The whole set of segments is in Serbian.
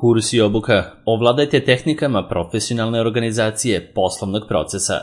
Kurs i obuka. Ovladajte tehnikama profesionalne organizacije poslovnog procesa.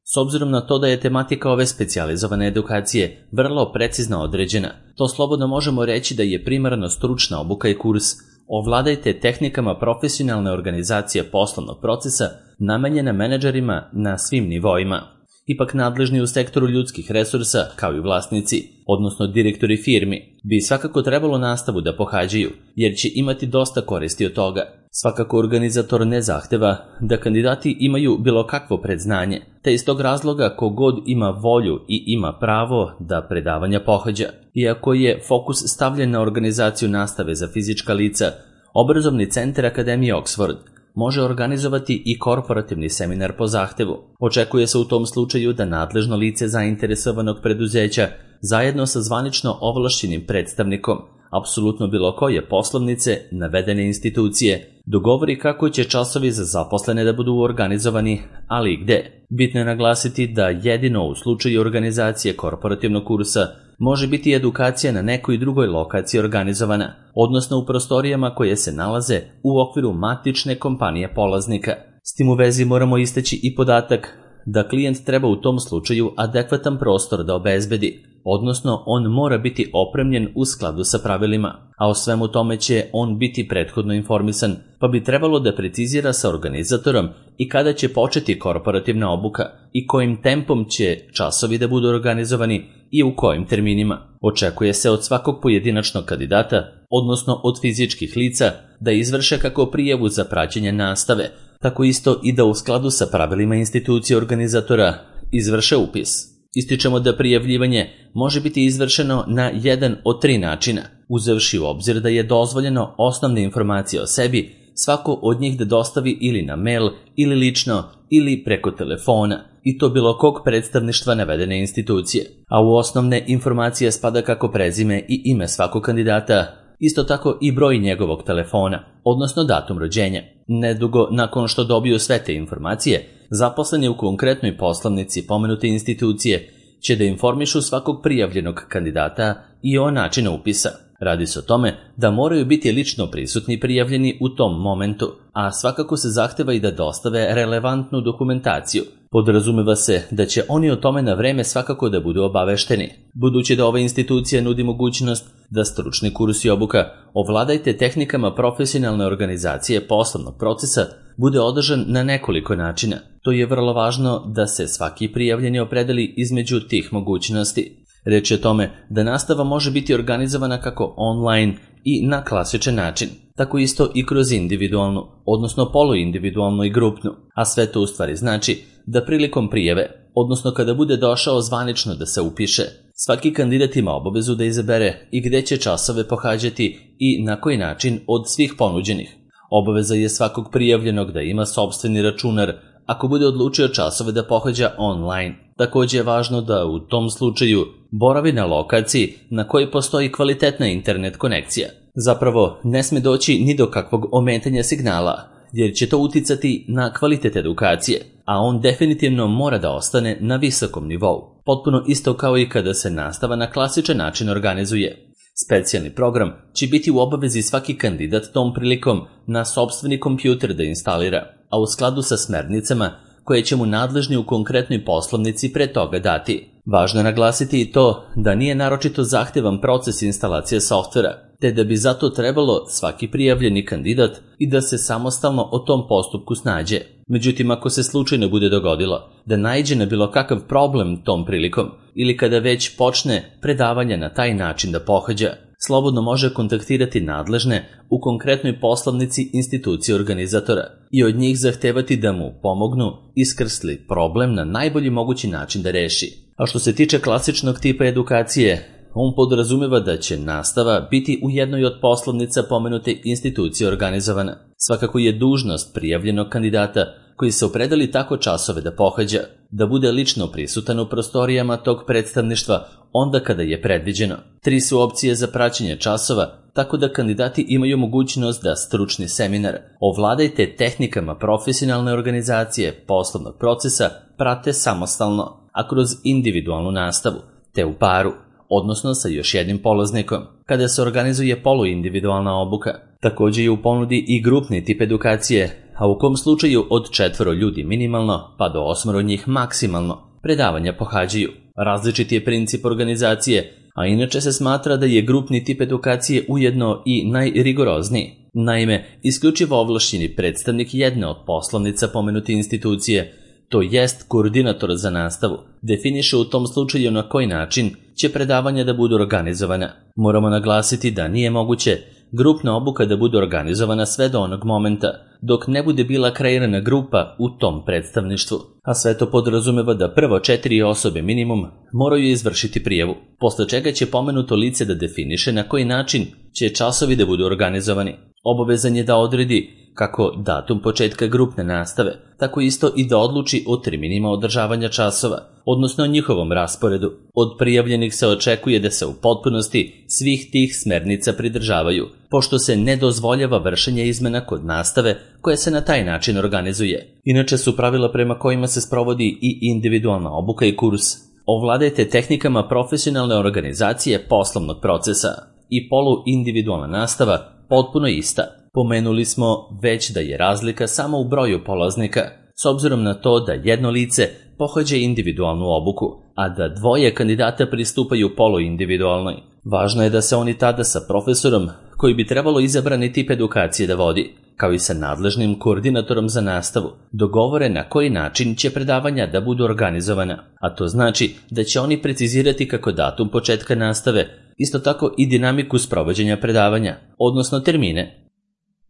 S obzirom na to da je tematika ove specijalizovane edukacije vrlo precizno određena, to slobodno možemo reći da je primarno stručna obuka i kurs Ovladajte tehnikama profesionalne organizacije poslovnog procesa namenjena menadžerima na svim nivoima. Ipak nadležni u sektoru ljudskih resursa, kao i vlasnici, odnosno direktori firmi, bi svakako trebalo nastavu da pohađaju, jer će imati dosta koristi od toga. Svakako organizator ne zahteva da kandidati imaju bilo kakvo predznanje, te iz tog razloga kogod ima volju i ima pravo da predavanja pohađa. Iako je fokus stavljen na organizaciju nastave za fizička lica, Obrazovni centar Akademije Oxford može organizovati i korporativni seminar po zahtevu. Očekuje se u tom slučaju da nadležno lice zainteresovanog preduzeća zajedno sa zvanično ovlašćenim predstavnikom apsolutno bilo koje poslovnice navedene institucije dogovori kako će časovi za zaposlene da budu organizovani, ali i gde. Bitno je naglasiti da jedino u slučaju organizacije korporativnog kursa može biti edukacija na nekoj drugoj lokaciji organizovana, odnosno u prostorijama koje se nalaze u okviru matične kompanije polaznika. S tim u vezi moramo istaći i podatak da klijent treba u tom slučaju adekvatan prostor da obezbedi, odnosno on mora biti opremljen u skladu sa pravilima, a o svemu tome će on biti prethodno informisan, pa bi trebalo da precizira sa organizatorom i kada će početi korporativna obuka i kojim tempom će časovi da budu organizovani i u kojim terminima. Očekuje se od svakog pojedinačnog kandidata, odnosno od fizičkih lica, da izvrše kako prijavu za praćenje nastave, tako isto i da u skladu sa pravilima institucije organizatora izvrše upis. Ističemo da prijavljivanje može biti izvršeno na jedan od 3 načina, uzevši u obzir da je dozvoljeno osnovne informacije o sebi svako od njih da dostavi ili na mail, ili lično, ili preko telefona, i to bilo kog predstavništva navedene institucije. A u osnovne informacije spada kako prezime i ime svakog kandidata, isto tako i broj njegovog telefona, odnosno datum rođenja. Nedugo nakon što dobiju sve te informacije, zaposleni u konkretnoj poslovnici pomenute institucije će da informišu svakog prijavljenog kandidata i o načinu upisa. Radi se o tome da moraju biti lično prisutni prijavljeni u tom momentu, a svakako se zahteva i da dostave relevantnu dokumentaciju. Podrazumeva se da će oni o tome na vreme svakako da budu obavešteni. Budući da ova institucija nudi mogućnost da stručni kurs i obuka Ovladajte tehnikama profesionalne organizacije poslovnog procesa bude održan na nekoliko načina. To je vrlo važno da se svaki prijavljeni opredeli između tih mogućnosti. Reč je o tome da nastava može biti organizovana kako online i na klasičan način, tako isto i kroz individualnu, odnosno poluindividualnu i grupnu, a sve to u stvari znači da prilikom prijave, odnosno kada bude došao zvanično da se upiše, svaki kandidat ima obavezu da izabere i gde će časove pohađati i na koji način od svih ponuđenih. Obaveza je svakog prijavljenog da ima sopstveni računar ako bude odlučio časove da pohađa online. Također je važno da u tom slučaju boravi na lokaciji na kojoj postoji kvalitetna internet konekcija. Zapravo, ne sme doći ni do kakvog ometanja signala, jer će to uticati na kvalitet edukacije, a on definitivno mora da ostane na visokom nivou. Potpuno isto kao i kada se nastava na klasičan način organizuje. Specijalni program će biti u obavezi svaki kandidat tom prilikom na sopstveni kompjuter da instalira, a u skladu sa smernicama koje će mu nadležni u konkretnoj poslovnici pre toga dati. Važno je naglasiti i to da nije naročito zahtevan proces instalacije softvera, te da bi zato trebalo svaki prijavljeni kandidat i da se samostalno o tom postupku snađe. Međutim, ako se slučajno bude dogodilo da naiđe na bilo kakav problem tom prilikom ili kada već počne predavanje na taj način da pohađa, slobodno može kontaktirati nadležne u konkretnoj poslovnici institucije organizatora i od njih zahtevati da mu pomognu iskrsli problem na najbolji mogući način da reši. A što se tiče klasičnog tipa edukacije, on podrazumeva da će nastava biti u jednoj od poslovnica pomenute institucije organizovana. Svakako je dužnost prijavljenog kandidata koji se opredeli tako časove da pohađa, da bude lično prisutan u prostorijama tog predstavništva onda kada je predviđeno. 3 su opcije za praćenje časova, tako da kandidati imaju mogućnost da stručni seminar Ovladajte tehnikama profesionalne organizacije poslovnog procesa prate samostalno, a kroz individualnu nastavu, te u paru. odnosno sa još jednim polaznikom, kada se organizuje poluindividualna obuka. Također je u ponudi i grupni tip edukacije, a u kom slučaju od 4 ljudi minimalno pa do 8 njih maksimalno predavanja pohađaju. Različit je princip organizacije, a inače se smatra da je grupni tip edukacije ujedno i najrigorozniji. Naime, isključivo ovlašćeni predstavnik jedne od poslovnica pomenute institucije, to jest koordinator za nastavu, definiše u tom slučaju na koji način će predavanja da budu organizovana. Moramo naglasiti da nije moguće grupna obuka da bude organizovana sve do onog momenta dok ne bude bila kreirana grupa u tom predstavništvu, a sve to podrazumeva da prvo 4 osobe minimum moraju izvršiti prijavu, posle čega će pomenuto lice da definiše na koji način će časovi da budu organizovani. Obavezan je da odredi kako datum početka grupne nastave, tako isto i da odluči o terminima održavanja časova, odnosno o njihovom rasporedu. Od prijavljenih se očekuje da se u potpunosti svih tih smernica pridržavaju, pošto se ne dozvoljava vršenje izmena kod nastave koja se na taj način organizuje. Inače su pravila prema kojima se sprovodi i individualna obuka i kurs. Ovladajte tehnikama profesionalne organizacije poslovnog procesa i poluindividualna nastava potpuno ista. Pomenuli smo već da je razlika samo u broju polaznika, s obzirom na to da jedno lice pohađa individualnu obuku, a da 2 kandidata pristupaju poluindividualnoj. Važno je da se oni tada sa profesorom, koji bi trebalo izabrani tip edukacije da vodi, kao i sa nadležnim koordinatorom za nastavu, dogovore na koji način će predavanja da budu organizovana, a to znači da će oni precizirati kako datum početka nastave, isto tako i dinamiku sprovođenja predavanja, odnosno termine.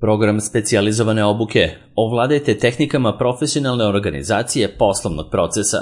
Program specijalizovane obuke. Ovladajte tehnikama profesionalne organizacije poslovnog procesa.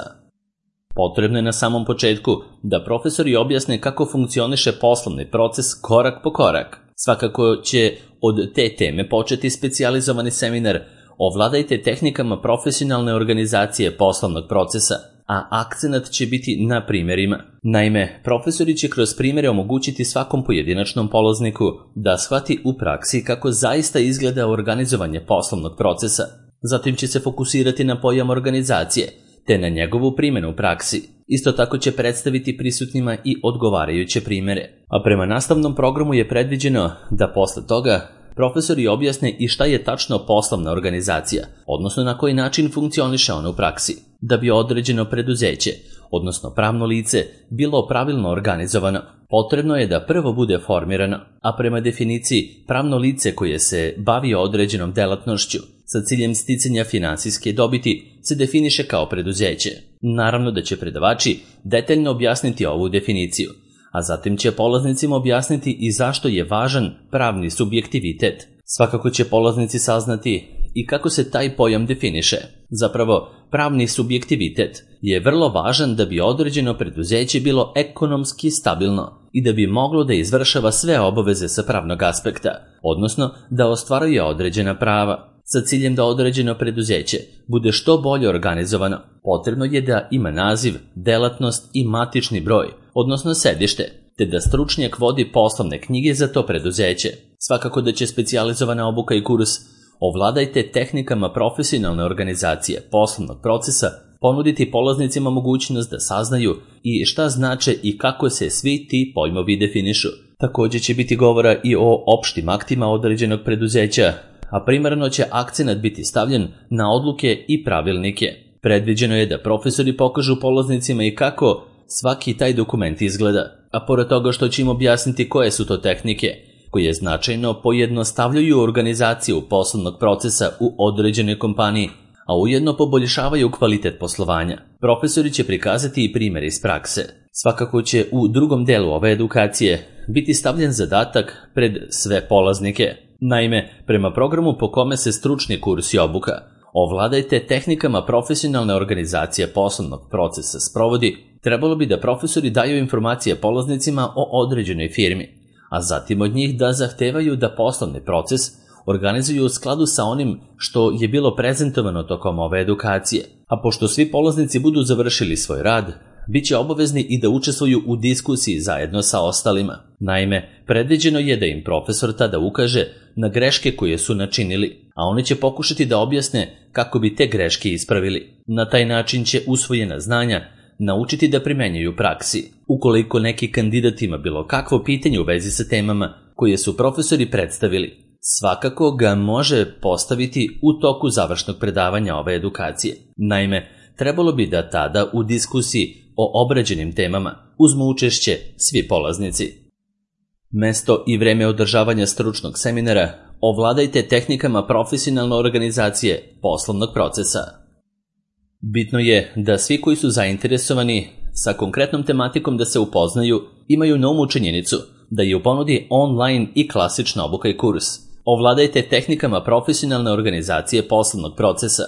Potrebno je na samom početku da profesori objasne kako funkcioniše poslovni proces korak po korak. Svakako će od te teme početi specijalizovani seminar Ovladajte tehnikama profesionalne organizacije poslovnog procesa, a akcenat će biti na primjerima. Naime, profesori će kroz primjere omogućiti svakom pojedinačnom polazniku da shvati u praksi kako zaista izgleda organizovanje poslovnog procesa. Zatim će se fokusirati na pojam organizacije, te na njegovu primjenu u praksi. Isto tako će predstaviti prisutnima i odgovarajuće primjere. A prema nastavnom programu je predviđeno da posle toga profesori objasne i šta je tačno poslovna organizacija, odnosno na koji način funkcioniše ona u praksi, da bi određeno preduzeće, odnosno pravno lice, bilo pravilno organizovano. Potrebno je da prvo bude formirano, a prema definiciji pravno lice koje se bavi određenom delatnošću sa ciljem sticanja finansijske dobiti se definiše kao preduzeće. Naravno da će predavači detaljno objasniti ovu definiciju, a zatim će polaznicima objasniti i zašto je važan pravni subjektivitet. Svakako će polaznici saznati i kako se taj pojam definiše. Zapravo, pravni subjektivitet je vrlo važan da bi određeno preduzeće bilo ekonomski stabilno i da bi moglo da izvršava sve obaveze sa pravnog aspekta, odnosno da ostvaruje određena prava. Sa ciljem da određeno preduzeće bude što bolje organizovano, potrebno je da ima naziv, delatnost i matični broj, odnosno sedište, te da stručnjak vodi poslovne knjige za to preduzeće. Svakako da će specijalizovana obuka i kurs Ovladajte tehnikama profesionalne organizacije poslovnog procesa ponuditi polaznicima mogućnost da saznaju i šta znače i kako se svi ti pojmovi definišu. Također će biti govora i o opštim aktima određenog preduzeća, a primarno će akcenat biti stavljen na odluke i pravilnike. Predviđeno je da profesori pokažu polaznicima i kako svaki taj dokument izgleda, a pored toga što će im objasniti koje su to tehnike, koje značajno pojednostavljuju organizaciju poslovnog procesa u određenoj kompaniji, a ujedno poboljšavaju kvalitet poslovanja. Profesori će prikazati i primjere iz prakse. Svakako će u drugom delu ove edukacije biti stavljen zadatak pred sve polaznike. Naime, prema programu po kome se stručni kurs i obuka Ovladajte tehnikama profesionalne organizacije poslovnog procesa sprovodi, trebalo bi da profesori daju informacije polaznicima o određenoj firmi, a zatim od njih da zahtevaju da poslovni proces organizuju u skladu sa onim što je bilo prezentovano tokom ove edukacije. A pošto svi polaznici budu završili svoj rad, bit će obavezni i da učestvuju u diskusiji zajedno sa ostalima. Naime, predviđeno je da im profesor tada ukaže na greške koje su načinili, a oni će pokušati da objasne kako bi te greške ispravili. Na taj način će usvojena znanja naučiti da primenjuju u praksi. Ukoliko neki kandidat ima bilo kakvo pitanje u vezi sa temama koje su profesori predstavili, svakako ga može postaviti u toku završnog predavanja ove edukacije. Naime, trebalo bi da tada u diskusiji o obrađenim temama uzmu učešće svi polaznici. Mesto i vreme održavanja stručnog seminara: ovladajte tehnikama profesionalne organizacije poslovnog procesa. Bitno je da svi koji su zainteresovani sa konkretnom tematikom da se upoznaju imaju na umu činjenicu da je u ponudi online i klasična obuka i kurs. Ovladajte tehnikama profesionalne organizacije poslovnog procesa,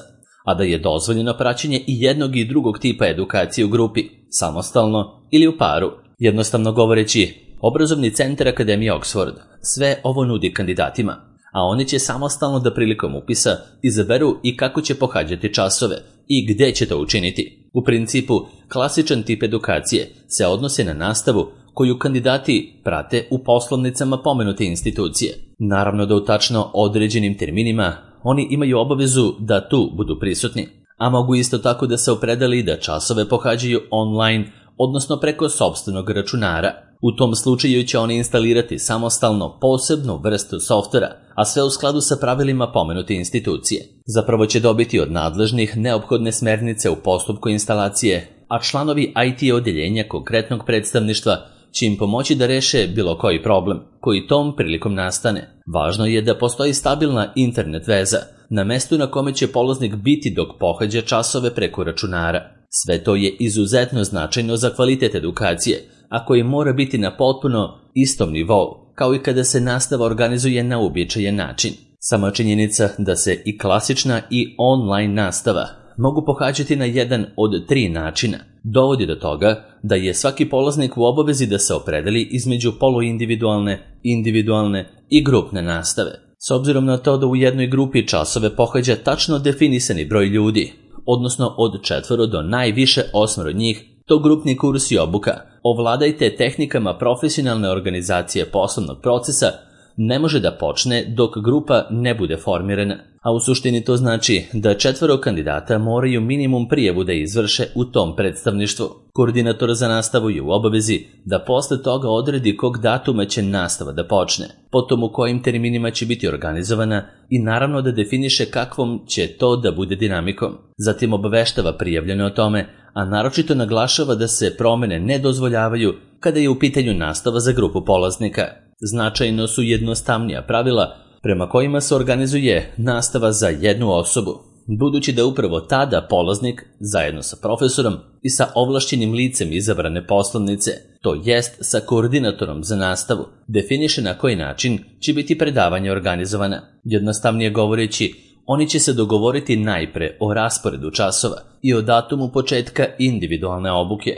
a da je dozvoljeno praćenje i jednog i drugog tipa edukacije u grupi, samostalno ili u paru. Jednostavno govoreći, Obrazovni centar Akademije Oxford sve ovo nudi kandidatima, a oni će samostalno da prilikom upisa izaberu i kako će pohađati časove i gde će to učiniti. U principu, klasičan tip edukacije se odnosi na nastavu koju kandidati prate u poslovnicama pomenute institucije. Naravno da u tačno određenim terminima oni imaju obavezu da tu budu prisutni, a mogu isto tako da se opredeli da časove pohađaju online, odnosno preko sopstvenog računara. U tom slučaju će oni instalirati samostalno posebnu vrstu softvera, a sve u skladu sa pravilima pomenute institucije. Zapravo će dobiti od nadležnih neophodne smernice u postupku instalacije, a članovi IT odeljenja konkretnog predstavništva će im pomoći da reše bilo koji problem koji tom prilikom nastane. Važno je da postoji stabilna internet veza na mestu na kome će polaznik biti dok pohađa časove preko računara. Sve to je izuzetno značajno za kvalitet edukacije, a koji mora biti na potpuno istom nivou, kao i kada se nastava organizuje na uobičajen način. Sama činjenica da se i klasična i online nastava mogu pohađati na jedan od 3 načina dovodi do toga da je svaki polaznik u obavezi da se opredeli između poluindividualne, individualne i grupne nastave. S obzirom na to da u jednoj grupi časove pohađa tačno definisani broj ljudi, odnosno od 4 do najviše 8 njih, to grupni kurs i obuka ovladajte tehnikama profesionalne organizacije poslovnog procesa ne može da počne dok grupa ne bude formirana, a u suštini to znači da 4 kandidata moraju minimum prijavu da izvrše u tom predstavništvu. Koordinator za nastavu je u obavezi da posle toga odredi kog datuma će nastava da počne, potom u kojim terminima će biti organizovana i naravno da definiše kakvom će to da bude dinamikom. Zatim obaveštava prijavljene o tome, a naročito naglašava da se promene ne dozvoljavaju kada je u pitanju nastava za grupu polaznika. Značajno su jednostavnija pravila prema kojima se organizuje nastava za jednu osobu, budući da upravo tada polaznik, zajedno sa profesorom i sa ovlašćenim licem izabrane poslovnice, to jest sa koordinatorom za nastavu, definiše na koji način će biti predavanje organizovana. Jednostavnije govoreći, oni će se dogovoriti najpre o rasporedu časova i o datumu početka individualne obuke,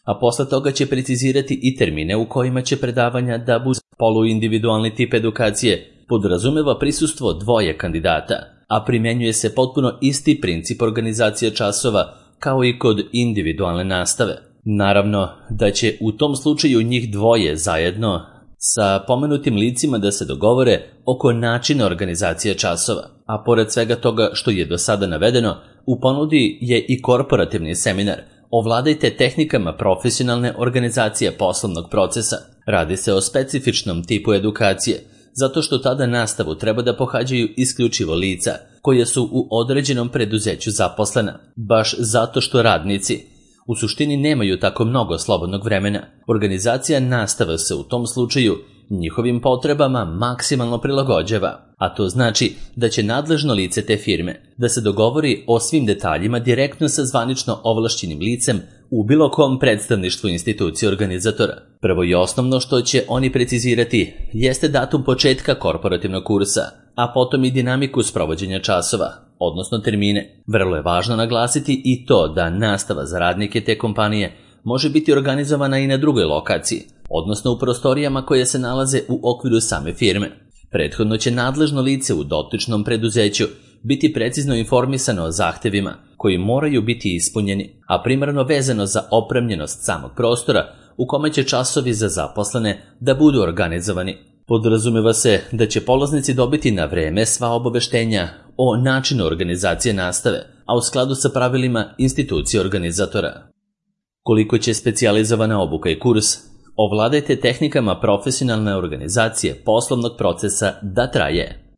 a posle toga će precizirati i termine u kojima će predavanja da budu. Poluindividualni tip edukacije podrazumeva prisustvo 2 kandidata, a primjenjuje se potpuno isti princip organizacije časova kao i kod individualne nastave. Naravno da će u tom slučaju njih 2 zajedno sa pomenutim licima da se dogovore oko načina organizacije časova, a pored svega toga što je do sada navedeno, u ponudi je i korporativni seminar Ovladajte tehnikama profesionalne organizacije poslovnog procesa. Radi se o specifičnom tipu edukacije, zato što tada nastavu treba da pohađaju isključivo lica koje su u određenom preduzeću zaposlena, baš zato što radnici u suštini nemaju tako mnogo slobodnog vremena. Organizacija nastave se u tom slučaju njihovim potrebama maksimalno prilagođava, a to znači da će nadležno lice te firme da se dogovori o svim detaljima direktno sa zvanično ovlašćenim licem u bilo kom predstavništvu institucije organizatora. Prvo i osnovno što će oni precizirati jeste datum početka korporativnog kursa, a potom i dinamiku sprovođenja časova, odnosno termine. Vrlo je važno naglasiti i to da nastava za radnike te kompanije može biti organizovana i na drugoj lokaciji, odnosno u prostorijama koje se nalaze u okviru same firme. Prethodno će nadležno lice u dotičnom preduzeću biti precizno informisano o zahtevima koji moraju biti ispunjeni, a primarno vezano za opremljenost samog prostora u kome će časovi za zaposlene da budu organizovani. Podrazumeva se da će polaznici dobiti na vreme sva obaveštenja o načinu organizacije nastave, a u skladu sa pravilima institucije organizatora. Koliko će specijalizovana obuka i kurs ovladajte tehnikama profesionalne organizacije poslovnog procesa da traje.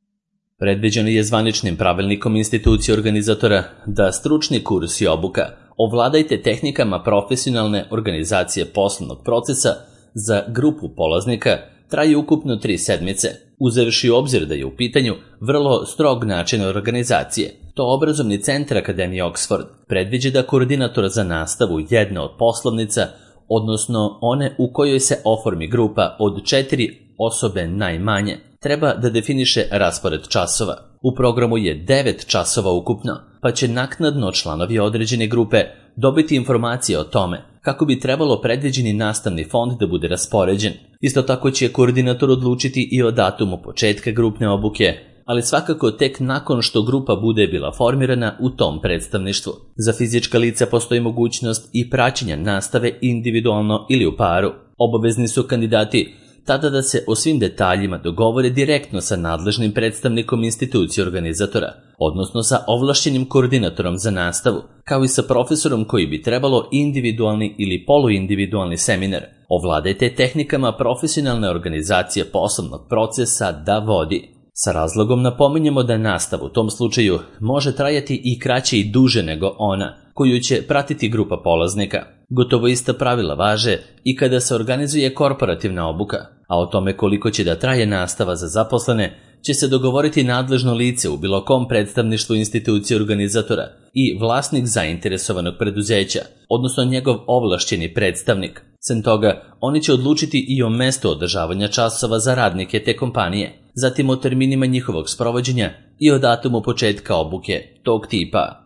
Predviđeno je zvaničnim pravilnikom institucije organizatora da stručni kurs i obuka ovladajte tehnikama profesionalne organizacije poslovnog procesa za grupu polaznika traju ukupno 3 sedmice, uzevši u obzir da je u pitanju vrlo strog način organizacije. To obrazovni centar Akademije Oxford predviđa da koordinator za nastavu jedne od poslovnica, odnosno one u kojoj se oformi grupa od 4 osobe najmanje, treba da definiše raspored časova. U programu je 9 časova ukupno, pa će naknadno članovi određene grupe dobiti informacije o tome kako bi trebalo predviđeni nastavni fond da bude raspoređen. Isto tako će koordinator odlučiti i o datumu početka grupne obuke, ali svakako tek nakon što grupa bude bila formirana u tom predstavništvu. Za fizička lica postoji mogućnost i praćenja nastave individualno ili u paru. Obavezni su kandidati tada da se o svim detaljima dogovore direktno sa nadležnim predstavnikom institucije organizatora, odnosno sa ovlašćenim koordinatorom za nastavu, kao i sa profesorom koji bi trebalo individualni ili poluindividualni seminar. Ovladajte tehnikama profesionalne organizacije poslovnog procesa da vodi. Sa razlogom napominjemo da nastava u tom slučaju može trajati i kraće i duže nego ona koju će pratiti grupa polaznika. Gotovo ista pravila važe i kada se organizuje korporativna obuka, a o tome koliko će da traje nastava za zaposlene će se dogovoriti nadležno lice u bilo kom predstavništvu institucije organizatora i vlasnik zainteresovanog preduzeća, odnosno njegov ovlašćeni predstavnik. Sem toga, oni će odlučiti i o mestu održavanja časova za radnike te kompanije, zatim o terminima njihovog sprovođenja i o datumu početka obuke tog tipa.